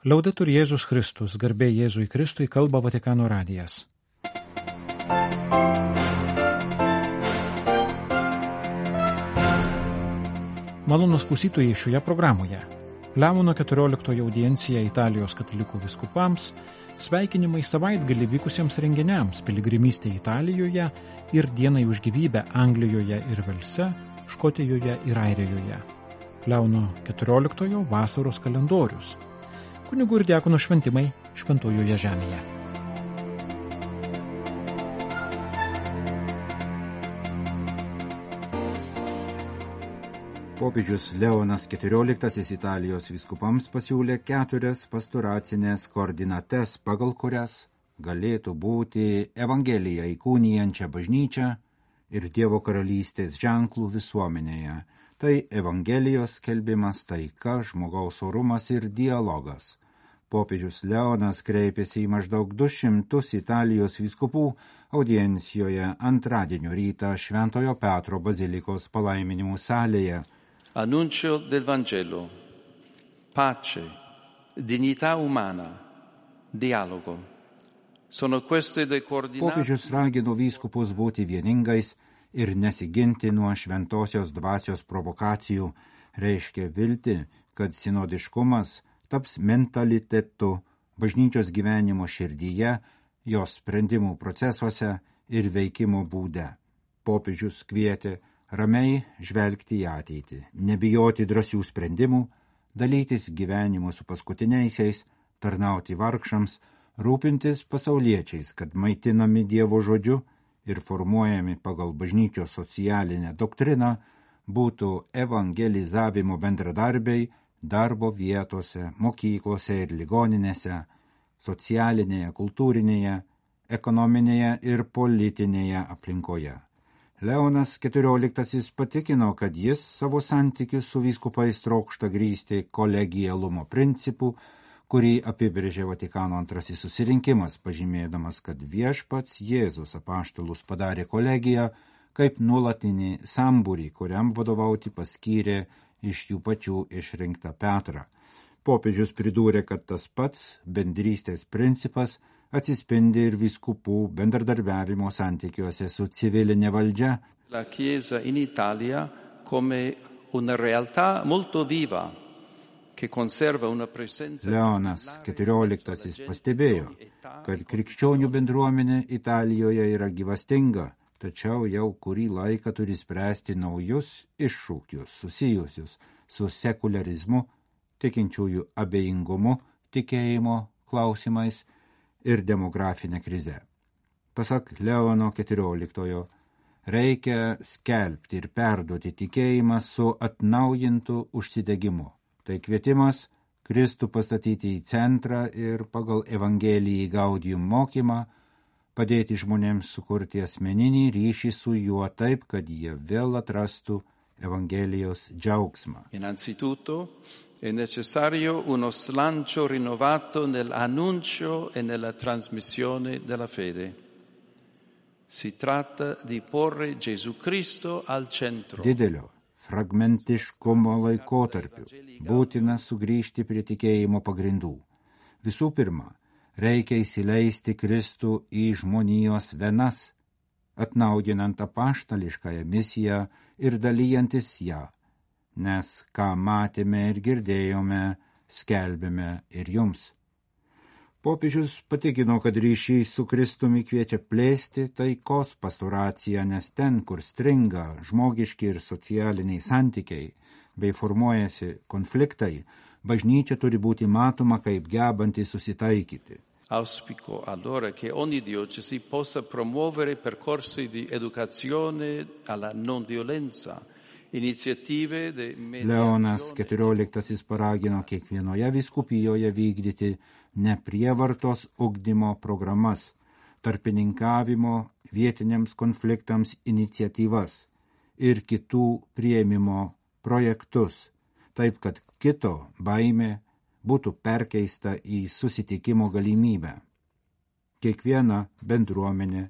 Laudetur Jėzus Kristus, garbė Jėzui Kristui, kalba Vatikano radijas. Malonūs klausytojai, šioje programoje Leono 14 audiencija Italijos katalikų vyskupams, sveikinimai savaitgalį vykusiems renginiams piligrimystė Italijoje ir dienai už gyvybę Anglijoje ir Velse, Škotijoje ir Airijoje. Leono 14 vasaros kalendorius. Kunigų ir diakonų šventimai Šventojoje žemėje. Popiežius Leonas XIV Italijos vyskupams pasiūlė 4 pastoracinės koordinates, pagal kurias galėtų būti Evangeliją įkūnijančią bažnyčią ir Dievo karalystės ženklų visuomenėje. Tai Evangelijos skelbimas, taika, žmogaus orumas ir dialogas. Popiežius Leonas kreipėsi į maždaug 200 Italijos vyskupų audiencijoje antradienio rytą Šventojo Petro bazilikos palaiminimų salėje. Annuncio del Vangelo, pace, dignità umana, dialogo. Sono queste le coordinate. Popiežius ragino vyskupus būti vieningais ir nesiginti nuo šventosios dvasios provokacijų, reiškia viltį, kad sinodiškumas taps mentalitetu bažnyčios gyvenimo širdyje, jos sprendimų procesuose ir veikimo būde. Popiežius kvietė ramiai žvelgti į ateitį, nebijoti drąsių sprendimų, dalytis gyvenimu su paskutiniaisiais, tarnauti vargšams, rūpintis pasauliečiais, kad maitinami Dievo žodžiu ir formuojami pagal bažnyčios socialinę doktriną, būtų evangelizavimo bendradarbiai darbo vietose, mokyklose ir ligoninėse, socialinėje, kultūrinėje, ekonominėje ir politinėje aplinkoje. Leonas XIV patikino, kad jis savo santykius su vyskupais trokšta grįsti kolegialumo principu, kurį apibrėžė Vatikano antrasis susirinkimas, pažymėdamas, kad viešpats Jėzus apaštalus padarė kolegiją kaip nuolatinį sambūrį, kuriam vadovauti paskyrė iš jų pačių išrinktą Petrą. Popiežius pridūrė, kad tas pats bendrystės principas atsispindi ir vyskupų bendradarbiavimo santykiuose su civilinė valdžia. La Chiesa in Italia come una realtà molto viva che conserva una presenza. Leonas XIV pastebėjo, kad krikščionių bendruomenė Italijoje yra gyvastinga, tačiau jau kurį laiką turi spręsti naujus iššūkius susijusius su sekularizmu, tikinčiųjų abejingumu, tikėjimo klausimais ir demografinė krize. Pasak Leono XIV, reikia skelbti ir perduoti tikėjimą su atnaujintu užsidegimu. Tai kvietimas Kristų pastatyti į centrą ir pagal Evangelijai Gaudium mokymą padėti žmonėms sukurti asmeninį ryšį su juo taip, kad jie vėl atrastų Evangelijos džiaugsmą. Innanzitutto è necessario uno slancio rinnovato nell'annuncio e nella trasmissione della fede. Si tratta di porre Gesù Cristo al centro. Didelio fragmentiškumo laikotarpiu būtina sugrįžti prie tikėjimo pagrindų. Visų pirma, reikia įsileisti Kristų į žmonijos venas, atnaujinant apaštališkąją misiją ir dalyjantis ją, nes ką matėme ir girdėjome, skelbėme ir jums. Popiežius patikino, kad ryšys su Kristumi kviečia plėsti taikos pastoraciją, nes ten, kur stringa žmogiški ir socialiniai santykiai bei formuojasi konfliktai, bažnyčia turi būti matoma kaip gebanti susitaikyti. Auspico allora che ogni diocesi possa promuovere percorsi di educazione alla non violenza, iniziative di mediazione. Leonas XIV paragino kiekvienoje vyskupijoje vykdyti neprievartos ugdymo programas, tarpininkavimo vietiniams konfliktams iniciatyvas ir kitų priėmimo projektus, taip kad kito baimė būtų perkeista į susitikimo galimybę. Kiekviena bendruomenė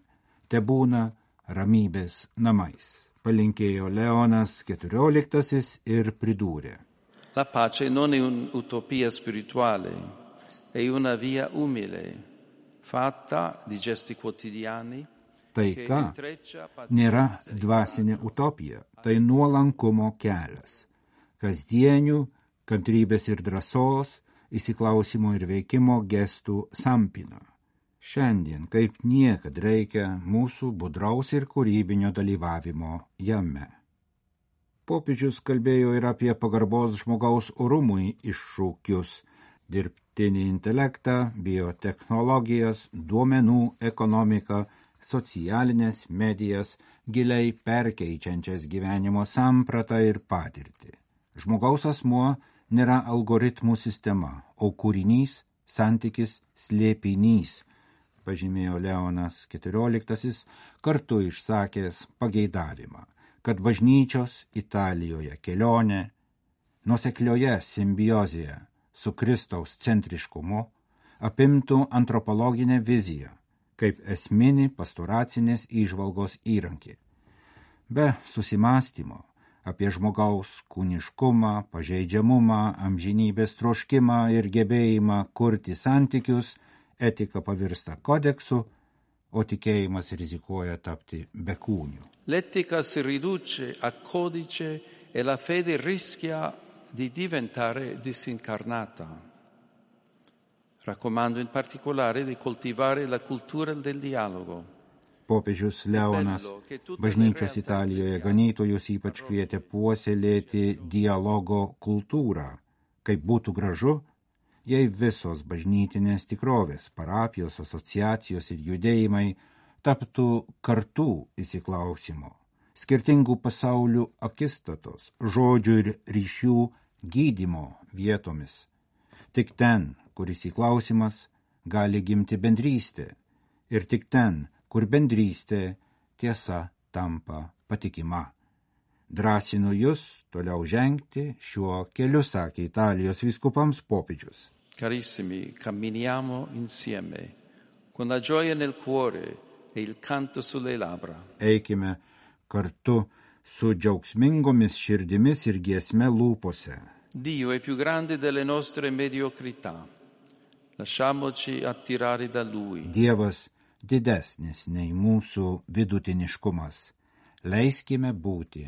tebūna ramybės namais, palinkėjo Leonas XIV ir pridūrė. La pace non è un'utopia spirituale, è una via umile, fatta di gesti quotidiani. Taika nėra dvasinė utopija, tai nuolankumo kelias, kasdienių, kantrybės ir drąsos, įsiklausimo ir veikimo gestų sampina. Šiandien kaip niekad reikia mūsų budraus ir kūrybinio dalyvavimo jame. Popiežius kalbėjo ir apie pagarbos žmogaus orumui iššūkius, dirbtinį intelektą, biotechnologijas, duomenų ekonomiką, socialinės medijas, giliai perkeičiančias gyvenimo sampratą ir patirtį. Žmogaus asmuo nėra algoritmų sistema, o kūrinys, santykis, slėpinys, pažymėjo Leonas XIV, kartu išsakęs pageidavimą, kad bažnyčios Italijoje kelionė nuoseklioje simbiozėje su Kristaus centriškumu apimtų antropologinę viziją kaip esminį pastoracinės įžvalgos įrankį. Be susimąstymo apie žmogaus kūniškumą, pažeidžiamumą, amžinybės troškimą ir gebėjimą kurti santykius, etika pavirsta kodeksu, o tikėjimas rizikuoja tapti bekūniu. L'etica si riduce a codice e la fede rischia di diventare disincarnata. Raccomando in particolare di coltivare la cultura del dialogo. Popiežius Leonas bažnyčios Italijoje ganytojus ypač kvietė puoselėti dialogo kultūrą, kaip būtų gražu, jei visos bažnytinės tikrovės, parapijos, asociacijos ir judėjimai taptų kartų įsiklausimo, skirtingų pasaulių akistatos, žodžių ir ryšių gydymo vietomis. Tik ten, kur įsiklausimas, gali gimti bendrystė, ir tik ten, kur bendrystė tiesa tampa patikima. Drąsinu jūs toliau žengti šiuo keliu, sakė Italijos vyskupams popiežius. Carissimi, camminiamo insieme, con la gioia nel cuore e il canto sulle labbra. Eikime kartu su džiaugsmingomis širdimis ir giesme lūpose. Dio è più grande delle nostre mediocrità. Lasciamoci attirare da Lui. Dievas didesnis nei mūsų vidutiniškumas. Leiskime būti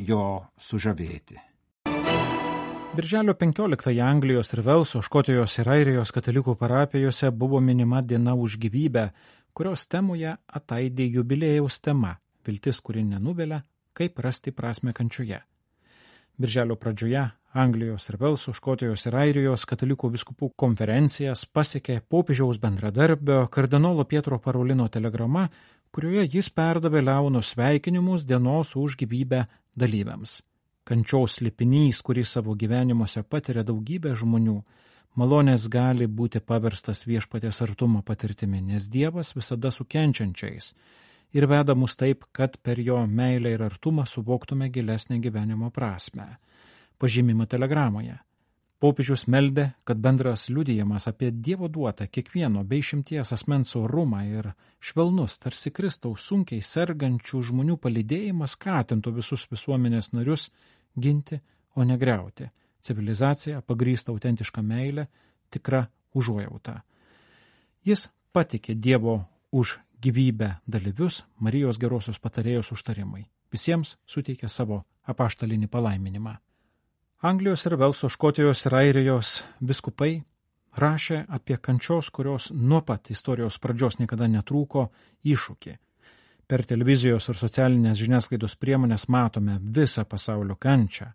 jo sužavėti. Birželio 15 Anglijos ir Velso, Škotijos ir Airijos katalikų parapijose buvo minima diena už gyvybę, kurios temoje ataidė jubiliejaus tema – viltis, kuri nenuvilia, kaip rasti prasmę kančioje. Birželio pradžioje Anglijos ir Velso, Škotijos ir Airijos katalikų vyskupų konferencijas pasiekė popiežiaus bendradarbio kardinolo Pietro Parolino telegrama, kurioje jis perdavė Leono sveikinimus dienos už gyvybę dalyviams. Kančios slėpinys, kurį savo gyvenimuose patiria daugybė žmonių, malonės gali būti paverstas viešpaties artumo patirtimi, nes Dievas visada su kenčiančiais ir veda mus taip, kad per jo meilę ir artumą suvoktume gilesnę gyvenimo prasmę. Pažymima telegramoje. Popiežius meldė, kad bendras liudijimas apie Dievo duotą kiekvieno bei išimties asmens orumą ir švelnus, tarsi Kristaus sunkiai sergančių žmonių palydėjimas skatintų visus visuomenės narius ginti, o ne griauti. Civilizacija pagrįsta autentišką meilę, tikra užuojauta. Jis patikė Dievo už gyvybę dalyvius Marijos gerosios patarėjos užtarimai. Visiems suteikė savo apaštalinį palaiminimą. Anglijos ir Velso, Škotijos ir Airijos vyskupai rašė apie kančios, kurios nuo pat istorijos pradžios niekada netrūko, iššūkį. Per televizijos ir socialinės žiniasklaidos priemonės matome visą pasaulio kančią.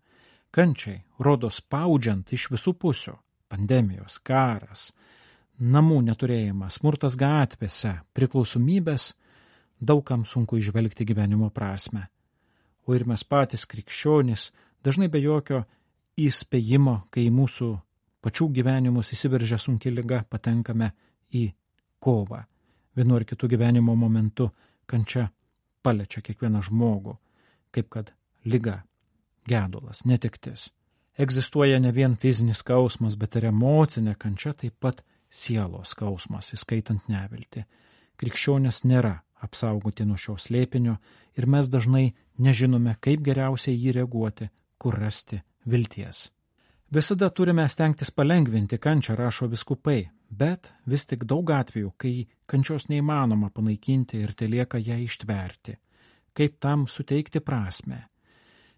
Kančiai rodo spaudžiant iš visų pusių – pandemijos, karas, namų neturėjimas, smurtas gatvėse, priklausomybės – daugam sunku įžvelgti gyvenimo prasmę. O ir mes patys krikščionys dažnai be jokio įspėjimo, kai į mūsų pačių gyvenimus įsiveržia sunki liga, patenkame į kovą. Vienu ar kitu gyvenimo momentu kančia paliečia kiekvieną žmogų, kaip kad liga, gedulas, netektis. Egzistuoja ne vien fizinis skausmas, bet ir emocinė kančia, taip pat sielos skausmas, įskaitant neviltį. Krikščionės nėra apsaugoti nuo šio slėpinio ir mes dažnai nežinome, kaip geriausiai jį reaguoti, kur rasti vilties. Visada turime stengtis palengvinti kančią, rašo vyskupai, bet vis tik daug atvejų, kai kančios neįmanoma panaikinti ir telieka ją ištverti. Kaip tam suteikti prasmę?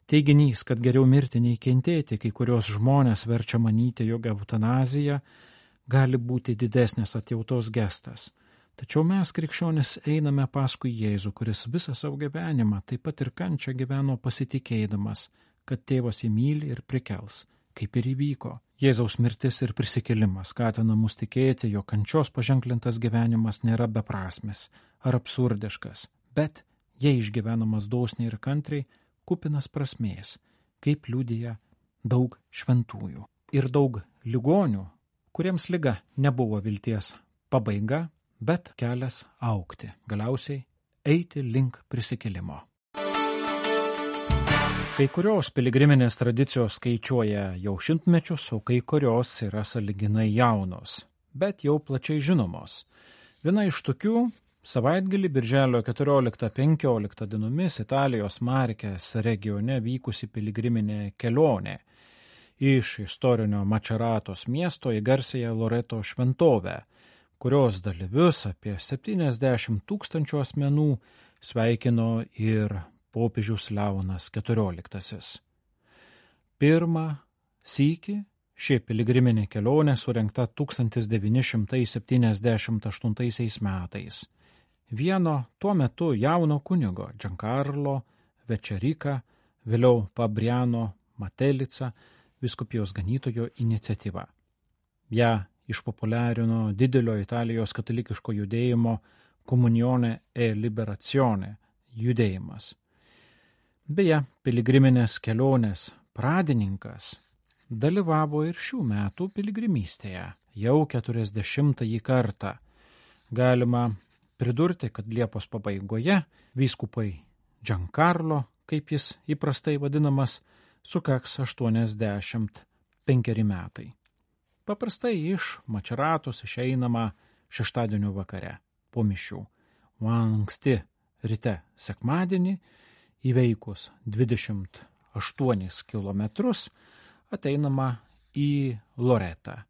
Teiginys, kad geriau mirti nei kentėti, kai kurios žmonės verčia manyti, jog eutanazija gali būti didesnės atjautos gestas. Tačiau mes, krikščionis, einame paskui Jėzų, kuris visą savo gyvenimą, taip pat ir kančią gyveno pasitikėdamas, kad tėvas jį myli ir prikels, kaip ir įvyko. Jėzaus mirtis ir prisikėlimas skatina mus tikėti, jog kančios paženklintas gyvenimas nėra beprasmis ar absurdiškas, bet, jei išgyvenamas dosniai ir kantriai, kupinas prasmės, kaip liudija daug šventųjų. Ir daug ligonių, kuriems liga nebuvo vilties pabaiga, bet kelias augti, galiausiai eiti link prisikėlimo. Kai kurios piligriminės tradicijos skaičiuoja jau šimtmečius, o kai kurios yra sąlyginai jaunos, bet jau plačiai žinomos. Viena iš tokių savaitgalį birželio 14-15 dienomis Italijos Markės regione vykusi piligriminė kelionė iš istorinio Mačeratos miesto į garsiąją Loreto šventovę, kurios dalyvius apie 70 000 asmenų sveikino ir popiežius Leonas XIV. Pirmą sykį ši piligriminė kelionė surengta 1978 metais. Vieno tuo metu jauno kunigo Giancarlo Večerika, vėliau Fabriano Matelica, vyskupijos ganytojo iniciatyva. Ja išpopuliarino didelio Italijos katalikiško judėjimo Comunione e Liberazione judėjimas. Beje, piligriminės kelionės pradininkas dalyvavo ir šių metų piligrimystėje, jau 40-ąjį kartą. Galima pridurti, kad Liepos pabaigoje vyskupai Giancarlo, kaip jis įprastai vadinamas, sukaks 85 metai. Paprastai iš Mačeratos išeinama šeštadienio vakare po mišių, o anksti ryte sekmadienį įveikus 28 kilometrus ateinama į Loretą,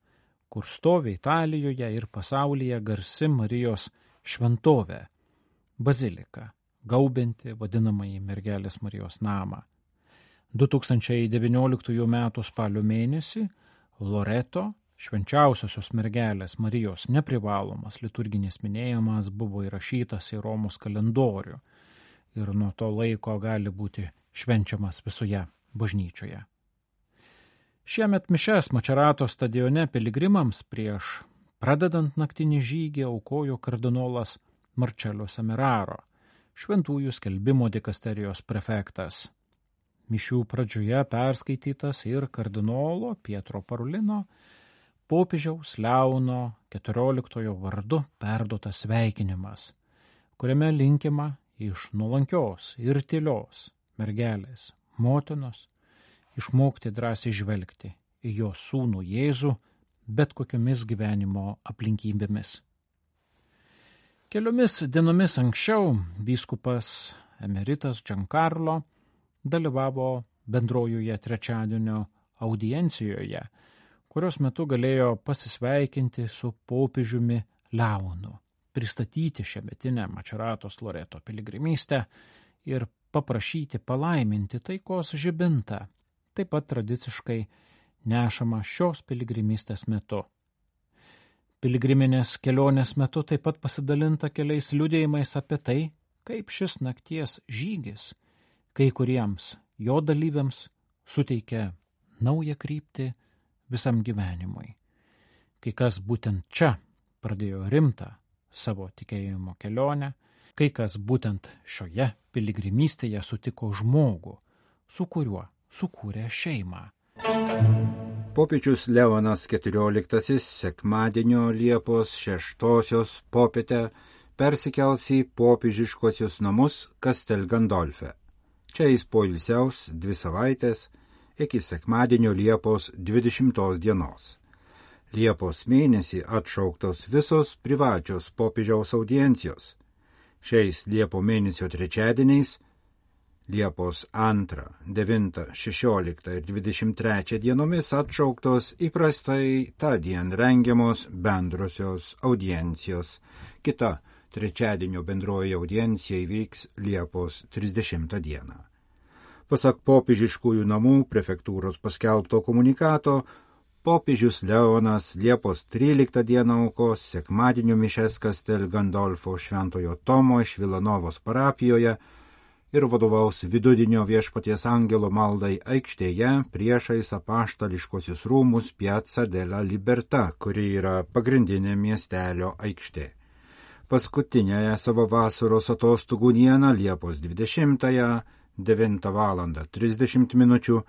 kur stovi Italijoje ir pasaulyje garsi Marijos šventovė, bazilika, gaubianti vadinamąjį Mergelės Marijos namą. 2019 m. spalio mėnesį Loreto švenčiausiosios Mergelės Marijos neprivalomas liturginis minėjimas buvo įrašytas į Romos kalendorių ir nuo to laiko gali būti švenčiamas visoje bažnyčioje. Šiemet mišes Mačerato stadione piligrimams prieš pradedant naktinį žygį aukojo kardinolas Marcello Semeraro, šventųjų skelbimo dikasterijos prefektas. Mišių pradžioje perskaitytas ir kardinolo Pietro Parolino popiežiaus Leono XIV vardu perduotas sveikinimas, kuriame linkima iš nuolankios ir tylios mergelės motinos išmokti drąsiai žvelgti į jos sūnų Jėzų bet kokiomis gyvenimo aplinkybėmis. Keliomis dienomis anksčiau vyskupas emeritas Giancarlo dalyvavo bendrojoje trečiadienio audiencijoje, kurios metu galėjo pasisveikinti su popiežiumi Leonu, pristatyti šiemetinę Mačeratos Loreto piligrimystę ir paprašyti palaiminti taikos žibintą, taip pat tradiciškai nešama šios piligrimystės metu. Piligriminės kelionės metu taip pat pasidalinta keliais liudijimais apie tai, kaip šis nakties žygis kai kuriems jo dalyviams suteikia naują kryptį visam gyvenimui. Kai kas būtent čia pradėjo rimtą savo tikėjimo kelionę, kai kas būtent šioje piligrimystėje sutiko žmogų, su kuriuo sukūrė šeimą. Popiežius Leonas XIV sekmadienio Liepos 6 popietę persikels į popiežiškosius namus Castel Gandolfe. Čia jis poilsiaus 2 savaitės iki sekmadienio Liepos 20 dienos. Liepos mėnesį atšauktos visos privačios popiežiaus audiencijos. Šiais Liepo mėnesio trečiadieniais Liepos 2, 9, 16 ir 23 dienomis atšauktos įprastai tądien rengiamos bendrosios audiencijos. Kita trečiadienio bendroji audiencija įvyks Liepos 30 dieną. Pasak popiežiškųjų namų prefektūros paskelbto komunikato, popiežius Leonas Liepos 13 dieną aukos sekmadienio mišias Castel Gandolfo Šventojo Tomo iš Vilanovos parapijoje ir vadovaus vidudienio Viešpaties angelo maldai aikštėje priešais apaštališkosius rūmus Piazza della Libertà, kuri yra pagrindinė miestelio aikštė. Paskutinėje savo vasaros atostogų dieną Liepos 20-ąją 9 val. 30 minučių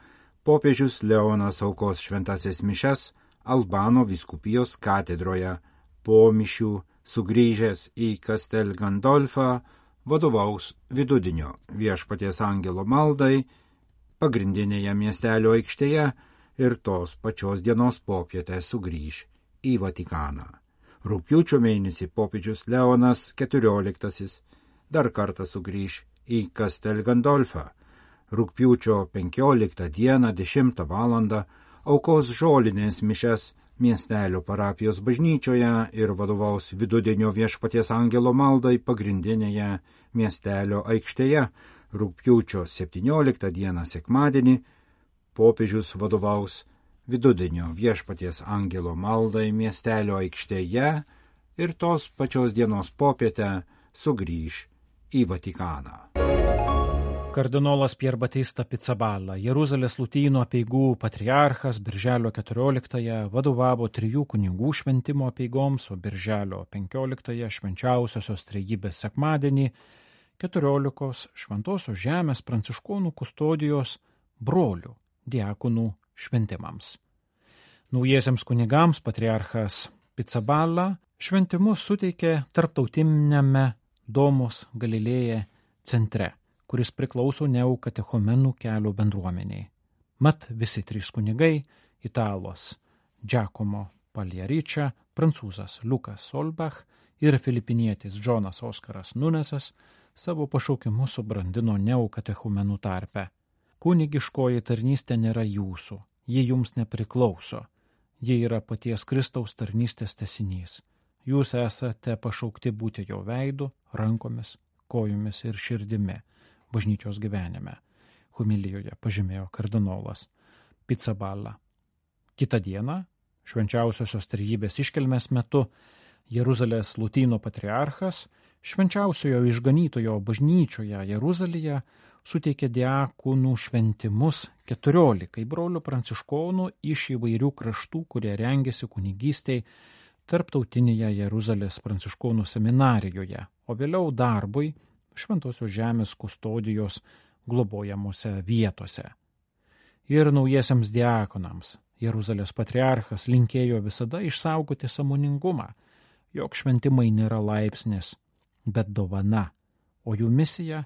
popiežius Leonas aukos šventasias mišias Albano vyskupijos katedroje. Po mišių sugrįžęs į Castel Gandolfą vadovaus vidudienio Viešpaties angelo maldai pagrindinėje miestelio aikštėje ir tos pačios dienos popietę sugrįž į Vatikaną. Rugpjūčio mėnesį popiežius Leonas XIV dar kartą sugrįž į Castel Gandolfą. Rugpjūčio 15 dieną 10 val. Aukos žolinės mišias miestelio parapijos bažnyčioje ir vadovaus vidudienio Viešpaties angelo maldai pagrindinėje miestelio aikštėje. Rugpjūčio 17 dieną sekmadienį popiežius vadovaus vidudienio Viešpaties angelo maldai miestelio aikštėje ir tos pačios dienos popietę sugrįž į Vatikaną. Kardinolas Pier Batista Pizzaballa, Jeruzalės Lotynų apeigų patriarchas, birželio 14-ąją vadovavo 3 kunigų šventimo apeigoms, o birželio 15-ąją švenčiausiosios trejybės sekmadienį 14 Šventosios žemės pranciškonų kustodijos brolių diakonų šventimams. Naujiesiems kunigams patriarchas Pizzaballa šventimus suteikė tarptautiniame Domos Galilėje centre, kuris priklauso Neokatechumenų kelio bendruomeniai. Mat visi 3 kunigai – italas Giacomo Pagliaričia, prancūzas Lukas Solbach ir filipinietis Džonas Oskaras Nunesas – savo pašaukimus subrandino Neokatechumenų tarpe. Kunigiškoji tarnystė nėra jūsų, ji jums nepriklauso, ji yra paties Kristaus tarnystės tęsinys. Jūs esate pašaukti būti jo veidu, rankomis, kojomis ir širdimi bažnyčios gyvenime, homilijoje pažymėjo kardinolas Pizzaballa. Kitą dieną, švenčiausiosios trejybės iškilmės metu, Jeruzalės Lotynų patriarchas švenčiausiojo išganytojo bažnyčioje Jeruzalėje suteikė diakonų šventimus 14 brolių pranciškonų iš įvairių kraštų, kurie rengėsi kunigystei tarptautinėje Jeruzalės pranciškonų seminarijoje, o vėliau darbui Šventosios žemės kustodijos globojamose vietose. Ir naujiesiams diakonams Jeruzalės patriarchas linkėjo visada išsaugoti sąmoningumą, jog šventimai nėra laipsnis, bet dovana, o jų misija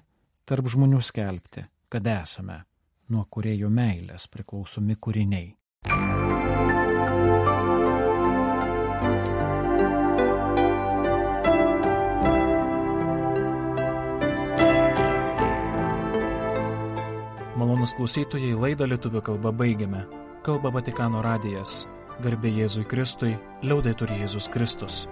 tarp žmonių skelbti, kad esame nuo kūrėjo meilės priklausomi kūriniai. Malonūs klausytojai, laidą lietuvių kalba baigiame. Kalba Vatikano radijas. Garbė Jėzui Kristui, liaudetur Jėzus Kristus.